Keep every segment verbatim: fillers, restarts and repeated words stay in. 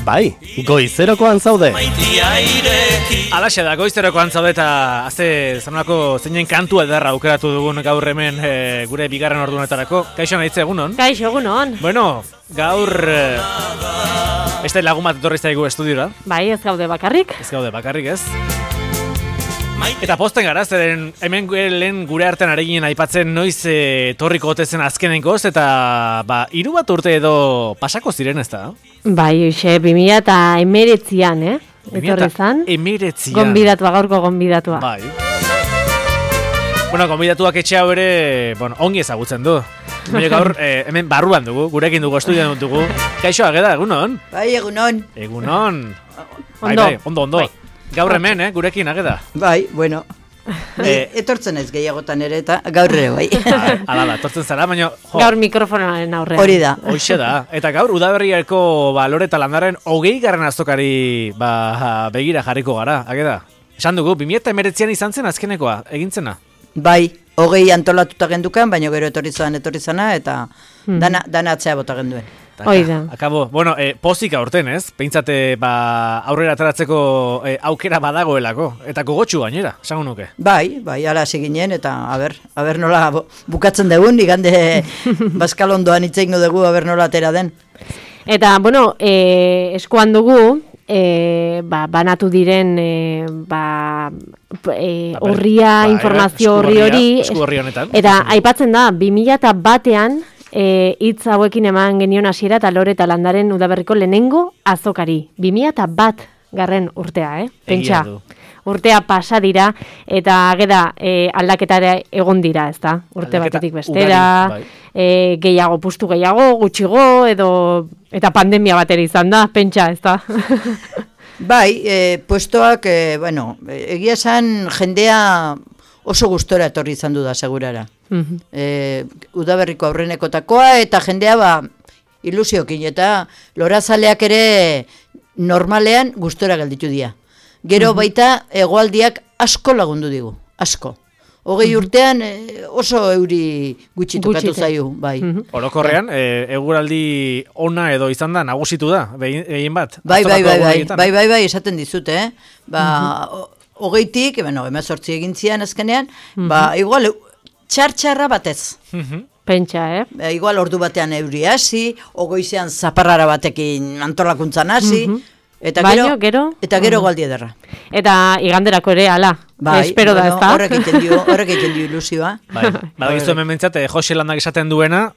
Bai, goizerokoan zaude. Alaxe da, goizerokoan zaude eta azte zanolako zeinen kantua edarra aukeratu dugun gaur hemen e, gure bigarren ordunetarako. Kaixo nahitze egunon? Kaixo egunon. Bueno, gaur e, beste lagun bat etorri zaigu estudiora. Bai, ez gaude bakarrik. Ez gaude bakarrik ez. Eta posten gara, zeren hemen lehen gure artean areginen aipatzen noiz e, torriko otezen azkenenkoz, eta ba, hiru bat urte edo pasako ziren ez da? Bai, uxe, bi mila eta emeretzian, eh? Etorri zan. Emeretzian. Gonbidatua, gaurko gonbidatua. Bai. Bueno, gonbidatuak etxe hau ere, bueno, ongi ezagutzen du. Baina gaur, eh, hemen barruan dugu, gurekin dugu, estudian dugu. Kaixo, ageda, egunon? Bai, egunon. Egunon. Bai, Ondo. bai, ondo, ondo. Bai. Gaur hemen, eh, gurekin, ageda. Bai, bueno. Eh, etortzen ez gehiagotan ere eta gaur ere bai. Bai, ala da, etortzen zara, baina... Jo, Gaur mikrofonaren aurrean. Hori da. hoxe da. Eta gaur, udaberriako ba, lore eta landaren hogei garren azokari ba, begira jarriko gara, ageda. Esan dugu, bi mila eta emeretzian izan zen azkenekoa, egintzena. Bai, hogei antolatuta gendukan, baina gero etorri zan etorri zana eta dana, dana atzea bota genduen. Hoi da. Akabo, bueno, eh, pozik aurten ez, peintzate ba, aurrera ateratzeko eh, aukera badagoelako, eta gogotxu gainera, esango nuke. Bai, bai, ala hasi ginen eta aber, aber nola bo- bukatzen dugun, igande baskalondoan itzein dugu aber nola atera den. Eta, bueno, e, eskuan dugu, e, ba, banatu diren e, ba, e, Ba, horria, bai, informazio esku horri horria, hori. esku horri honetan. Eta aipatzen da, bi mila eta batean, E, hitz hauekin eman genion hasiera eta lore eta landaren udaberriko lehenengo azokari. bi mila eta bat garren urtea, eh? Pentsa, Egia du. urtea pasa dira eta ageda e, aldaketara egon dira, ezta? Urte Aldaketa batetik bestera, ugari, bai. e, gehiago, pustu gehiago, gutxigo, edo eta pandemia batera izan da, pentsa, ezta? Bai, eh, puestoak, eh, bueno, egia esan jendea oso gustora etorri izan du da segurara. Mhm. E, udaberriko aurrenekotakoa eta jendea ba ilusiokin eta lorazaleak ere normalean gustora gelditu dira. Gero baita hegoaldiak asko lagundu digu, asko. Hogei urtean e, oso euri gutxi tokatu Gutxite. zaio, bai. Orokorrean, eh, eguraldi ona edo izan da, nagusitu da, behin egin bat. Bai, bai, azokako bai, bai, egunetan. bai, bai, bai, esaten dizute, eh? Ba, o- hogeitik, bueno, emezortzi egin zian azkenean, ba, igual, txar-txarra batez. Mhm. Pentsa, eh? E, igual ordu batean euri hasi, ogoizean zaparrara batekin antolakuntzan hasi, eta Baino, gero, gero? eta gero galdi ederra. Eta iganderako ere, ala, espero da, bueno, ezta? horrek egiten dio, horrek egiten dio ilusioa. Bai, badakizu hemen mentzat, Jose Landak esaten duena,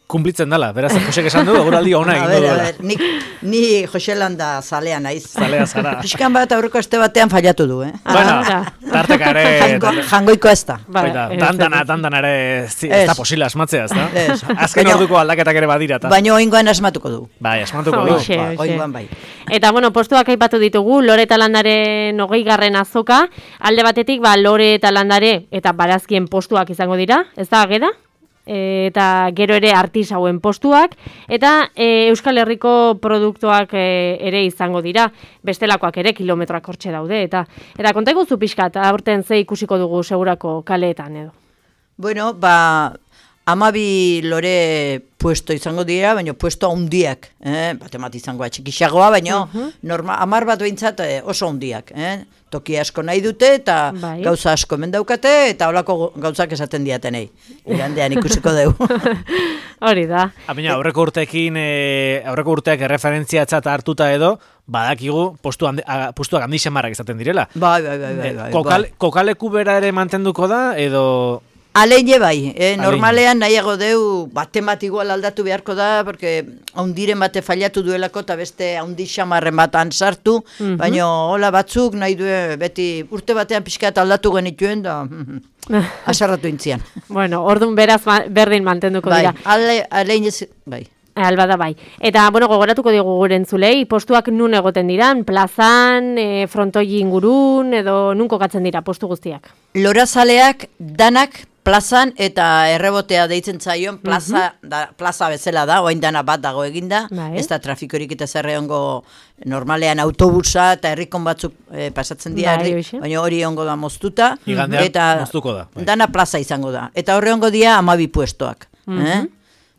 kumplitzen dala, beraz, Josek esan du, eguraldi ona A egingo ber, a duela. ber, nik, ni Joselanda zalea naiz. Zalea zara. Pixkan bat aurreko aste batean fallatu du, eh? Bueno, Ah, tarteka ere... Jango, jangoiko ez da. Bai, Baita, ez, dandana, ez. dandana ere, zi, ez da Ez. posible asmatzea, ez da? Ez. Azken Baina- orduko aldaketak ere badira, eta... Baina oingoan asmatuko du. Bai, asmatuko du. Hoxe, Ba, hoxe. oingoan bai. Eta, bueno, postuak aipatu ditugu, lore eta landaren hogei garren azoka, alde batetik, ba, lore eta landare eta barazkien postuak izango dira, ez da, ageda? E, eta gero ere artisauen postuak, eta e, Euskal Herriko produktuak e, ere izango dira, bestelakoak ere kilometroak hortxe daude, eta eta konta iguzu pixkat, aurten ze ikusiko dugu segurako kaleetan edo. Bueno, ba, amabi lore puesto izango dira, baina puesto handiak, eh? Bate bat izangoa txikixagoa, baina norma, amar bat behintzat eh, oso handiak, eh? Toki asko nahi dute eta Bai. gauza asko hemen daukate eta holako go- gauzak esaten diatenei. Igandean ikusiko dugu. Hori da. Baina aurreko urteekin, e, aurreko urteak erreferentziatzat hartuta edo, badakigu postu handi, a, postuak handi xamarrak izaten direla. Bai, bai, bai, bai, Eh, bai, kokal, bai. kokaleku bera ere mantenduko da, edo... Aleine bai, eh? Aleine. Normalean nahiago deu, bate bat igual aldatu beharko da, porque haundiren bate fallatu duelako eta beste haundi xamarren batan sartu, baina hola batzuk nahi du beti urte batean pixkat aldatu genituen da asarratu intzian. Bueno, orduan beraz ma- berdin mantenduko Bai, dira. ale, aleine, zi- bai. Alba da bai. Eta, bueno, gogoratuko digu gure entzulei, postuak nun egoten diran, plazan, e, frontoi ingurun, edo nun kokatzen dira postu guztiak. Lorazaleak danak plazan eta errebotea deitzen zaion plaza, da, plaza bezala da, oain dana bat dago eginda, Bai. ez da trafikorik eta zerre ongo normalean autobusa eta herrikon batzuk eh, pasatzen dira, Bai, herri- hoxe. baina hori ongo da moztuta, Igandean eta moztuko da, bai. dana plaza izango da. Eta horre ongo dira amabi puestoak. eh?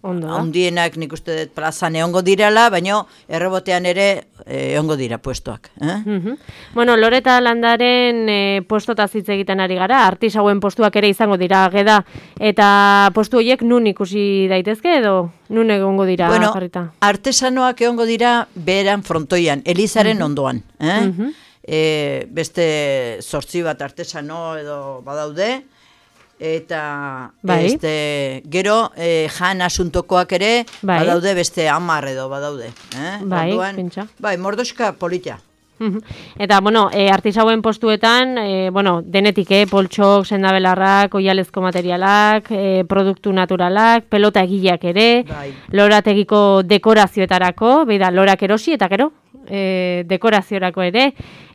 Ondo da. Handienak nik uste dut plazan egongo direla, baina errebotean ere egongo dira puestoak. Eh? Mhm. Bueno, Loreta Landaren e, postotaz hitz egiten ari gara, artisauen postuak ere izango dira geda, eta postu horiek nun ikusi daitezke edo nun egongo dira bueno, jarrita? Artesanoak egongo dira beheran frontoian, Elizaren uh-huh. ondoan. Eh? Uh-huh. E, beste zortzi bat artesano edo badaude, eta bai. este, gero e, jan asuntokoak ere bai. Badaude beste hamar edo badaude. Eh? Bai, Orduan, pentsa. Bai, mordoska polita. Eta, bueno, e, artisauen postuetan, e, bueno, denetik, eh, poltxok, sendabelarrak, oialezko materialak, e, produktu naturalak, pelota egileak ere, bai. Lorategiko dekorazioetarako, beida, lorak erosi eta gero, e, dekoraziorako ere,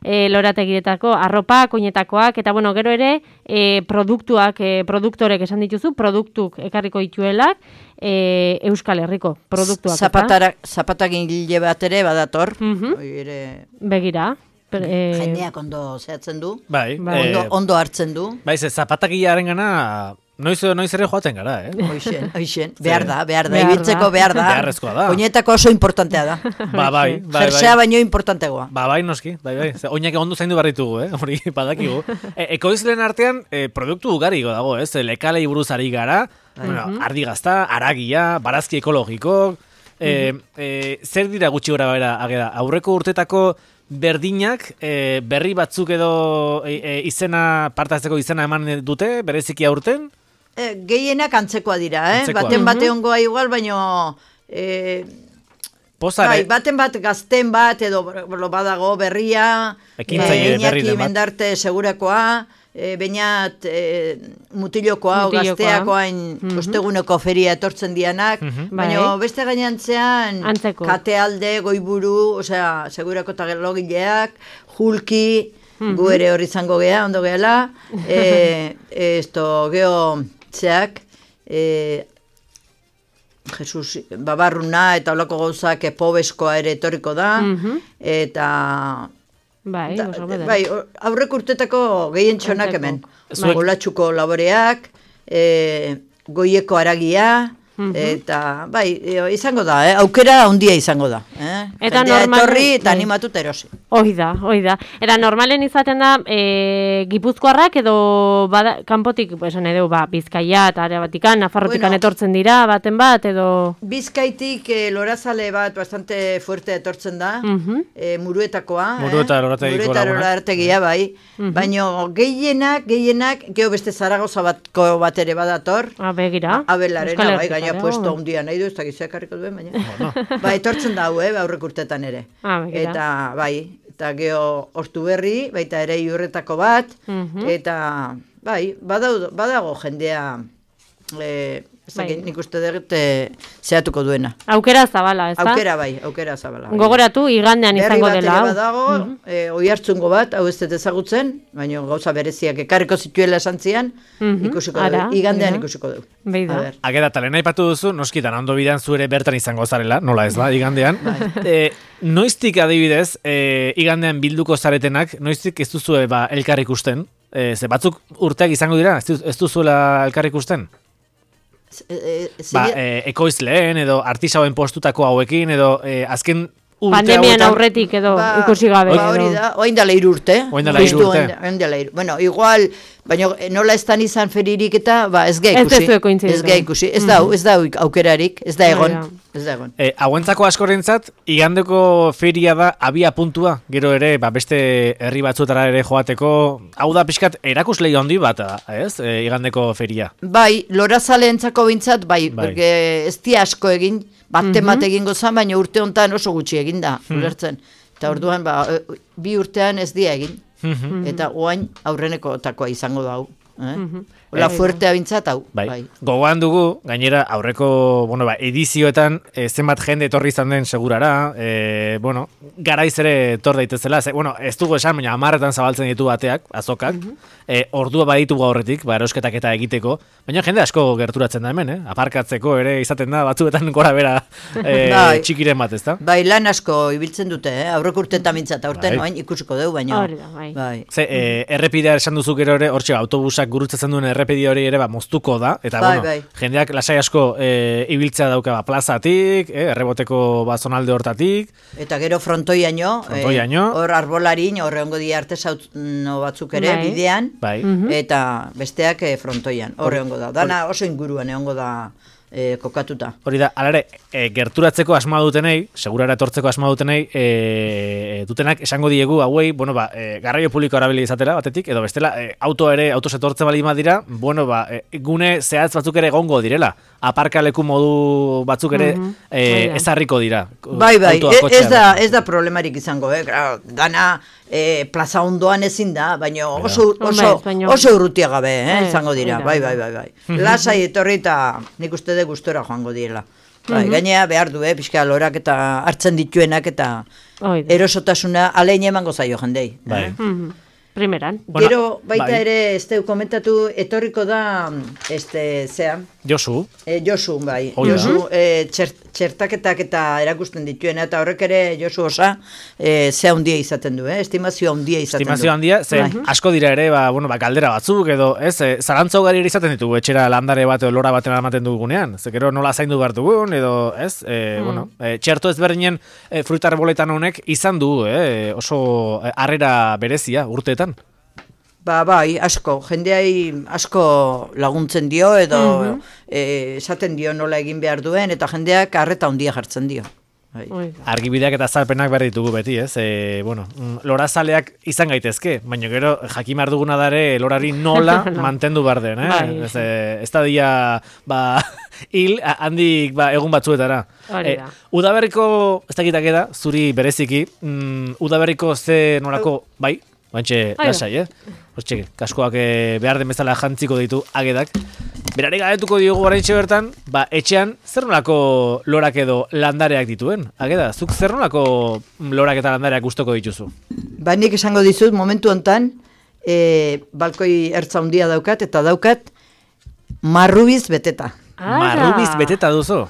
e, lorategietako arropak, oinetakoak, eta, bueno, gero ere, e, produktuak, e, produktorek esan dituzu, produktuk ekarriko dituelak, e, Euskal Herriko produktuak. Zapatara, zapatagin gile bat ere badator, uh-huh. ere... Begira. Per, e... Jendeak ondo zehatzen du, bai, ondo, eh, ondo hartzen du. Bai, ze zapatagilearen gana... Noiz, noiz ere joaten gara, eh? Hoixen, hoixen, behar da, behar da, ibiltzeko behar da. Beharrezkoa da. Oinetako oso importantea da. Ba, bai, bai, Jersea baino importantegoa. Ba, bai, noski, bai, bai. Oinak ondo zaindu barritugu, eh? Hori, badakigu. E, ekoizlen artean, e, produktu ugari dago, ez? Lekalei buruz ari gara, bueno, ardi gazta, aragia, barazki ekologiko, e, e, zer dira gutxi gora bera, ageda, aurreko urtetako berdinak, e, berri batzuk edo e, e, izena, partazteko izena eman dute, bereziki aurten? E, gehienak antzekoa dira, eh? Antzekoa. Baten bate ongoa igual, baino... E, Pozare. Bai, baten bat gazten bat, edo badago berria, ekintzaile e, berri den bat. Mendarte segurakoa, e, bainat e, mutilokoa, o gazteakoain mm-hmm. osteguneko feria etortzen dianak, mm-hmm. baina bai. Beste gainantzean antzeko. Katealde, Goiburu, osea, segurako tagelogileak, Julki, mm-hmm. gu ere hori izango gea, ondo gehala, e, esto, geho, zeak, e, Jesus Babarruna eta olako gauzak pobeskoa ere etorriko da, mm-hmm. eta... Bai, da, bai, aurrek urtetako gehien txonak hemen. Bai. Olatxuko laboreak, e, goieko aragia, mm-hmm. eta bai, izango da, eh? Aukera handia izango da. Eh? Eta jendea normal... etorri eta bai. animatut erosi. Hoi da, hoi da. Eta normalen izaten da, e, gipuzkoarrak edo bada, kanpotik, esan edo, ba, Bizkaia eta Arabatikan, Nafarrotikan bueno, etortzen dira, baten bat, edo... Bizkaitik e, lorazale bat bastante fuerte etortzen da, uh-huh. e, muruetakoa. Murueta lorategiko laguna. Murueta lorategia, bai. Uh-huh. Baina gehienak, gehienak, geho beste Zaragoza batko bat ere badator. A, begira. Abelarena, bai, gaina puesto handia nahi du, ez da gizeak harriko duen, baina. No. Ba, etortzen da, eh, aurrek urtetan ere. Ah, eta, bai, eta geho hortu berri, baita ere iurretako bat, uh-huh. eta, bai, badago, badago jendea, e, bai. Nik uste dut zehatuko duena. Aukera zabala, ez da? Aukera bai, aukera zabala. Bai. Gogoratu, igandean izango dela. Berri bat ere badago, uh-huh. e, oi hartzungo bat, hau ez dut ezagutzen, baina gauza bereziak ekarriko zituela esan zian, uh-huh. ikusiko dugu, igandean uh-huh. ikusiko dugu. Beida. Ageda, talen aipatu duzu, noskitan, ondo bidean zure bertan izango zarela, nola ez da, igandean. e, noiztik adibidez, e, igandean bilduko zaretenak, noiztik ez duzue ba, elkar ikusten? E, ze batzuk urteak izango dira, ez duzuela elkar ikusten? E, e, ba, e, ekoizleen edo artisauen postutako hauekin edo e, azken urte pandemian hauetan... aurretik edo ba, ikusi gabe. Ba, hori da, oain dela irurte. Oain dela irurte. Oain dela irurte. Bueno, igual, baina nola ez dan izan feririk eta, ba, ez gai ikusi. Ez gai ikusi. Ez da, ez da aukerarik, ez da egon. Ez da egon. E, hauentzako askorentzat, igandeko feria da abia puntua, gero ere, ba, beste herri batzutara ere joateko, hau da pixkat erakuslei handi bat, ez, e, igandeko feria. Bai, lorazaleentzako bintzat, bai, bai. Porque ez di asko egin, baten bat egingo zan, baina urte honetan oso gutxi egin da, ulertzen. Eta orduan, ba, bi urtean ez dia egin. Eta oain aurreneko takoa izango da hau. Eh? Ola fuertea bintzat hau. Bai. Bai. Gogoan dugu, gainera, aurreko bueno, ba, edizioetan e, zenbat jende etorri izan den segurara, e, bueno, garaiz ere etor daitezela, ze, bueno, ez dugu esan, baina hamarretan zabaltzen ditu bateak, azokak, e, ordua baditugu aurretik, ba, erosketak eta egiteko, baina jende asko gerturatzen da hemen, eh? Aparkatzeko ere izaten da, batzuetan gora bera e, bai. Txikiren bat, ez da? Bai, lan asko ibiltzen dute, eh? Aurreko urtetan bintzat, aurten bai. Oain ikusiko dugu, baina... Bai. Ze, e, errepidea esan duzu gero ere, hortxe, autobusak gurutzatzen duen errepidea, errepidi hori ere ba, moztuko da, eta Bai, bueno, bai. jendeak lasai asko e, ibiltzea dauka ba, plazatik, e, erreboteko ba, zonalde hortatik, Eta gero frontoiaino, Frontoiaino. eh, hor arbolarin, hor egongo dira artesauno batzuk ere Bai. bidean, bai. eta besteak eh, frontoian, hor egongo da. Dana oso inguruan egongo da eh, kokatuta. Hori da, alare, e, gerturatzeko asma dutenei, segurara etortzeko asma dutenei, e, dutenak esango diegu, hauei, bueno, ba, e, garraio publiko erabili izatera, batetik, edo bestela, e, auto ere, autos etortzen bali dira, bueno, ba, e, gune zehatz batzuk ere egongo direla, aparkaleku modu batzuk ere Mhm. e, Bai da. ezarriko dira. Bai, bai, autoa, e- kotxea ez da, bezala. ez da problemarik izango, eh? Claro, dana eh, plaza ondoan ezin da, baina oso, Hombre, oso, baina- oso urrutia gabe, eh? Eh, izango dira, hori da, bai, bai. bai, bai, bai. Lasai etorri eta nik uste de gustora joango direla. Bai, gainea behar du, eh? Pixka lorak eta hartzen dituenak eta Hoi da. erosotasuna alein emango zaio jendei. Bai. eh? Mhm. Primeran. Bueno, Gero baita bai. ere, ez teu komentatu, etorriko da, este, zea, Josu, E, Josu, bai. Hoi da. Josu, e, txert, txertaketak eta erakusten dituena, eta horrek ere Josu osa e, zea handia izaten du, eh? Estimazio handia izaten estimazio du. handia, ze Bai. asko dira ere, ba, bueno, ba, galdera batzuk, edo, ez, e, zarantza ugari ere izaten ditugu, etxera landare bat edo lora baten ematen dugunean, ze gero nola zaindu behar dugun, edo, ez, e, bueno, e, txerto ezberdinen e, fruita arboletan honek izan du, eh, oso e, harrera berezia urteetan. Ba, bai, asko, jendeai asko laguntzen dio, edo e, esaten dio nola egin behar duen, eta jendeak arreta handia jartzen dio. Bai. Hoi da. Argibideak eta azalpenak behar ditugu beti, ez? E, bueno, mm, lorazaleak izan gaitezke, baina gero jakin behar duguna dare lorari nola mantendu behar den, eh? Bai. Ez, e, ez da dia, ba, hil, a- handik ba, egun batzuetara. Hori da. Udaberriko, ez dakitak eda, zuri bereziki, mm, udaberriko ze nolako, bai? Bantxe, Bai da. lasai, eh? Hortxe, kaskoak eh, behar den bezala jantziko ditu agedak. Berari galetuko diogu oraintxe bertan, ba, etxean zer nolako lorak edo landareak dituen? Ageda, zuk zer nolako lorak eta landareak gustoko dituzu? Ba, nik esango dizut, momentu hontan, e, balkoi ertza handia daukat, eta daukat marrubiz beteta. Ara. Marrubiz beteta duzu.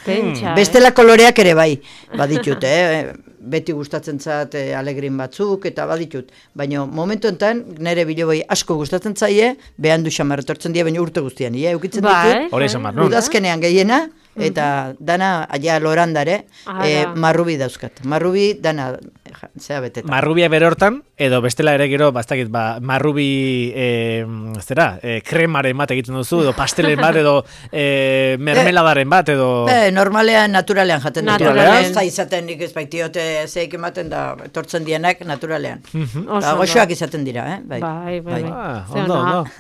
Pentsa, eh? Bestela koloreak ere bai, baditut, eh? Beti gustatzen zat eh, alegrin batzuk, eta baditut. Baina momentu enten, nire biloboi asko gustatzen zaie, behan du xamar etortzen dira, baina urte guztian, eh? Eukitzen Bai, ditut, Hori esan behar, non? udazkenean gehiena, eta dana, aia lorandare, Ara. eh, marrubi dauzkat. Marrubi, dana, ja, zea beteta. Marrubia bere hortan, edo bestela ere gero, bastakit, ba, marrubi, e, zera, e, kremaren bat egiten duzu, edo pastelen bat, edo e, mermeladaren bat, edo... Eh, normalean, naturalean jaten dut. Naturalean. Ez da izaten nik ez baitiote zeik ematen da, etortzen dienak naturalean. Oso Ba, ondo. goxoak izaten dira, eh? Bai. Bai, bai, bai. Ah, Ze ondo, ona. ondo.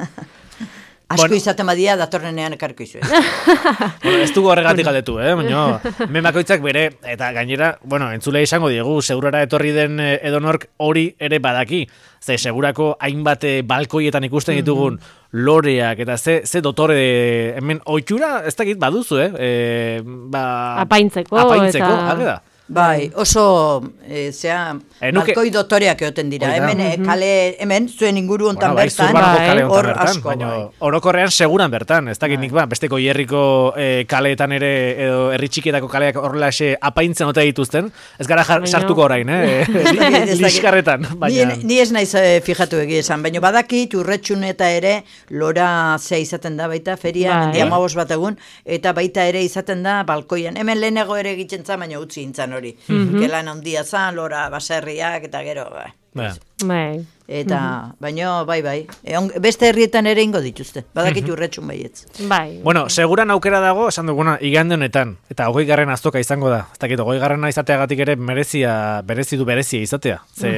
Asko Bueno. izaten badia datorrenean ekarko izue. Bueno, ez dugu horregatik galdetu, eh? Baina, hemen bakoitzak bere, eta gainera, bueno, entzulea izango diegu, segurara etorri den eh, edonork hori ere badaki. Ze, segurako hainbat eh, balkoietan ikusten ditugun loreak, eta ze, ze dotore, hemen, oitxura, ez dakit baduzu, eh? E, ba, Apaintzeko, Apaintzeko, eta- hage da. Bai, oso, e, zea, Eh, nuke- balkoi dotoreak egoten dira. Hori da. Hemen, eh, kale, hemen, zuen inguru hontan Bueno, bai, bertan, Zurbanoko bai, kale honetan hor bertan, asko, baina bai. orokorrean seguran bertan, ez dakit nik ba, besteko hierriko eh, kaleetan ere, edo herri txikietako kaleak horrelaxe apaintzen ote dituzten, ez gara jar, Baina- sartuko orain, eh? Ez dakit, ez dakit. Liskarretan, baina... Ni, ni ez naiz eh, fijatu egia esan, baina badakit urretxun eta ere lora zea izaten da baita, feria, Bai. mendi amabos bat egun, eta baita ere izaten da balkoian. Hemen lehenago ere egiten zan, baina utzi intzan hori. Gelan handia zan, lora baserriak, eta gero, bai. Ba. Bai. Eta, baino, bai, bai. E, on- beste herrietan ere ingo dituzte. Badakit urretxun baietz. Bai. Bueno, seguran aukera dago, esan duguna, igande honetan, eta hogei garren azoka izango da. Ez dakit, hogei garrena izateagatik ere merezia, berezi du berezia izatea. Ze,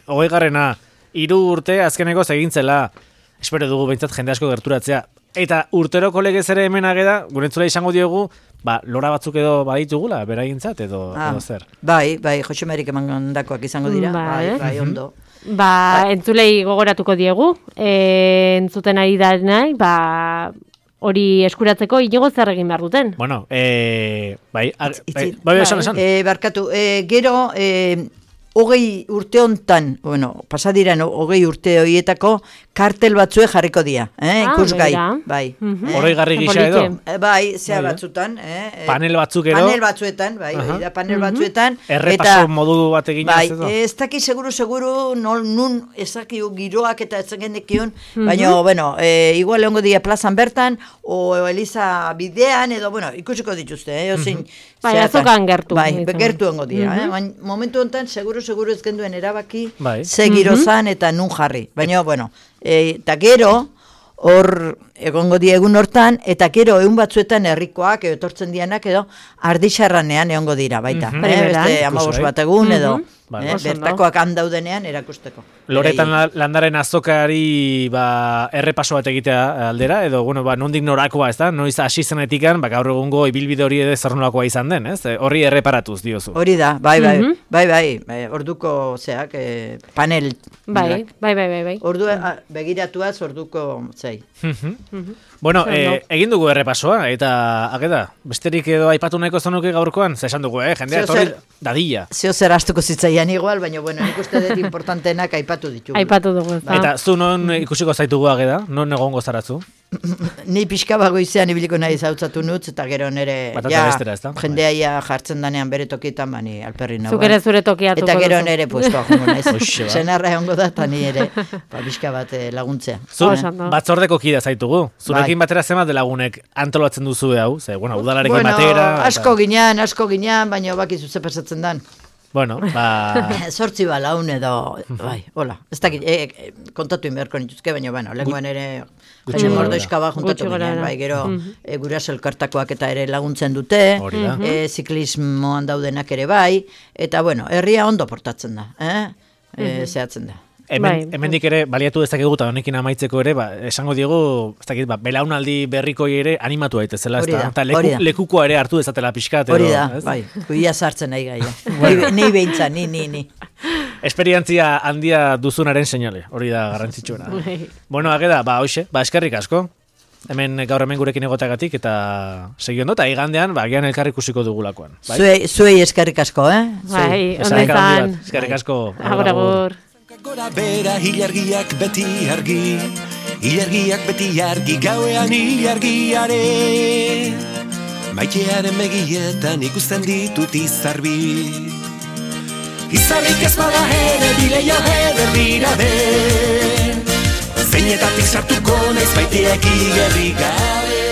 hogei garrena, hiru urte azkeneko egintzela, espero dugu behintzat jende asko gerturatzea. Eta urteroko legez ere hemen ageda, gurentzula izango diogu, ba, lora batzuk edo baditugula, beragintzat, edo, edo zer. Bai, bai, Jose Marik emandakoak izango dira. Bai. Bai, bai, ondo. Ba, entzulei gogoratuko diegu, e, entzuten ari da nahi, ba, hori eskuratzeko inigo zer egin behar duten. Bueno, e, bai, ar, bai, Itzi- bai, esan, esan. E, barkatu, e, gero, e, hogei urte hontan, bueno, pasadiran hogei urte horietako kartel batzue jarriko dira, eh? Ah, Ikusgai, begira. bai. Mhm. eh? Oroigarri gisa edo? Eh, Bai, zea Bai, eh? batzutan, eh? eh, Panel batzuk edo? Panel batzuetan, bai, Aha. hori da, panel batzuetan. Errepaso modu bat egin bai, edo? ez daki seguru, seguru, nol, nun ezakiu giroak eta ez genekion, baina, bueno, e, igual egongo dira plazan bertan, o Eliza bidean, edo, bueno, ikusiko dituzte, eh? Ozin, Bai, zeatan. azokan gertu. Bai, Ditzen. gertu egongo dira, eh? Baina, momentu honetan, seguru, seguru ez genduen erabaki, Bai. ze giro zan eta nun jarri. Baina, bueno, e, eta gero, hor egongo die egun hortan, eta gero egun batzuetan herrikoak edo etortzen dianak edo ardixarranean egongo dira baita. Mhm. eh? Primeran. Beste amabos Ikusi, bat egun edo Bai. eh? Oso ondo. bertakoak handaudenean erakusteko. Loretan Beraiei. la- landaren azokari ba, errepaso bat egitea aldera, edo, bueno, ba, nondik norakoa, ez da? Noiz hasi zenetikan, ba, gaur egungo ibilbide hori ere zer nolakoa izan den, ez? E, Horri erreparatuz diozu. Hori da, bai, bai, Mhm. bai, bai, bai, orduko, zeak, eh, panel. Bai, bai, bai, bai, bai. Ordu, ah, begiratuaz orduko, zei. Mhm. Bueno, Oso eh, ondo. egin dugu errepasoa, eta, ageda, besterik edo aipatu nahiko zenuke gaurkoan, ze esan dugu, eh? Jendea, Zeo etorri zer- dadila. Zeo zer astuko zitzaian igual, baina, bueno, nik uste dut importantenak aipatu ditugu. Aipatu dugu, ez da? Eta zu non ikusiko zaitugu ageda, non egongo zaratzu? Ni pixka bagoizean ibiliko nahi zautzatu nutz, eta gero nere, Batata ja, bestera, ezta? jendea ja jartzen danean bere tokietan, bani alperri nagoa. Zuk ere zure tokiatuko Eta gero duzu. nere puestoa jongo naiz. Hoxe ba. Senarra egongo da, eta ni ere, ba, pixka bat eh, laguntzea. Zu Oso ondo. batzordeko kidea zaitugu. Zurekin Bai. batera zenbat de lagunek antolatzen duzu hau, ze, bueno, udalarekin Bueno, batera. eta- asko ginean, asko ginean, baina bakizu ze pasatzen dan. Bueno, ba... Sortzi balaun edo, bai, hola. Ez dakit, e, e, kontatu inberko nituzke, baina, bueno, lenguan ere Gutxi Jaime gorabehera. Mordoizka ba juntatu Gutxi ginean, gorabehera. bai, gero Mhm. e, guraso elkartakoak eta ere laguntzen dute, Hori da. e, ziklismoan daudenak ere bai, eta, bueno, herria ondo portatzen da, eh? E, zehatzen da. Hemen, Bai. hemendik ere baliatu dezakegu eta honekin amaitzeko ere, ba, esango diegu, ez dakit, ba, belaunaldi berrikoi ere animatu daitezela, Hori ezta? da, Eta leku, hori da. lekukoa ere hartu dezatela pixkat, edo, Hori da, ez? bai, kuia sartzen nahi gaia. Nei, nei behintza, ni, ni, ni. Esperientzia handia duzunaren seinale, hori da garrantzitsuena. Bai. Bueno, ageda, ba, hoxe, ba, eskerrik asko. Hemen gaur hemen gurekin egotagatik eta segi ondo, eta igandean, ba, agian elkar ikusiko dugulakoan. Bai? Zuei, zuei eskerrik asko, eh? Zuei. Bai, ondo Eskerrik handi izan. bat, Eskerrik asko. Agur, agur. Gora bera hilargiak beti argi, hilargiak beti argi, gauean hilargiare. Maitearen begietan ikusten ditut izarbi. Izarrik ez bada ere, bileia eder dira Zeinetatik sartuko naiz baitiek igerri gabe.